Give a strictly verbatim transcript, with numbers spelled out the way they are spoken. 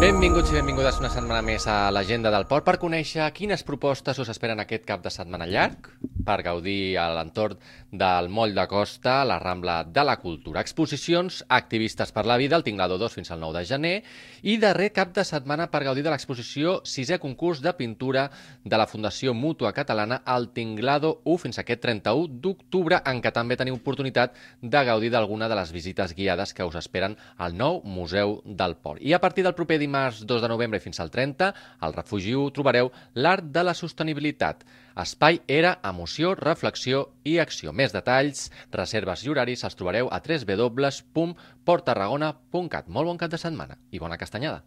Benvinguts i benvingudes una setmana més a l'Agenda del Port per conèixer quines propostes us esperen aquest cap de setmana llarg per gaudir a l'entorn del Moll de Costa, la Rambla de la Cultura. Exposicions, activistes per la vida, el Tinglado dos fins al nou de gener i darrer cap de setmana per gaudir de l'exposició sisè concurs de pintura de la Fundació Mútua Catalana, el Tinglado u fins aquest trenta-u d'octubre, en què també teniu oportunitat de gaudir d'alguna de les visites guiades que us esperen al nou Museu del Port. I a partir del proper dimarts dos de novembre fins al trenta, al Refugi u trobareu l'Art de la Sostenibilitat. Espai era emoció, reflexió i acció. Més detalls, reserves i horaris els trobareu a w w w punt port tarragona punt cat. Molt bon cap de setmana i bona castanyada.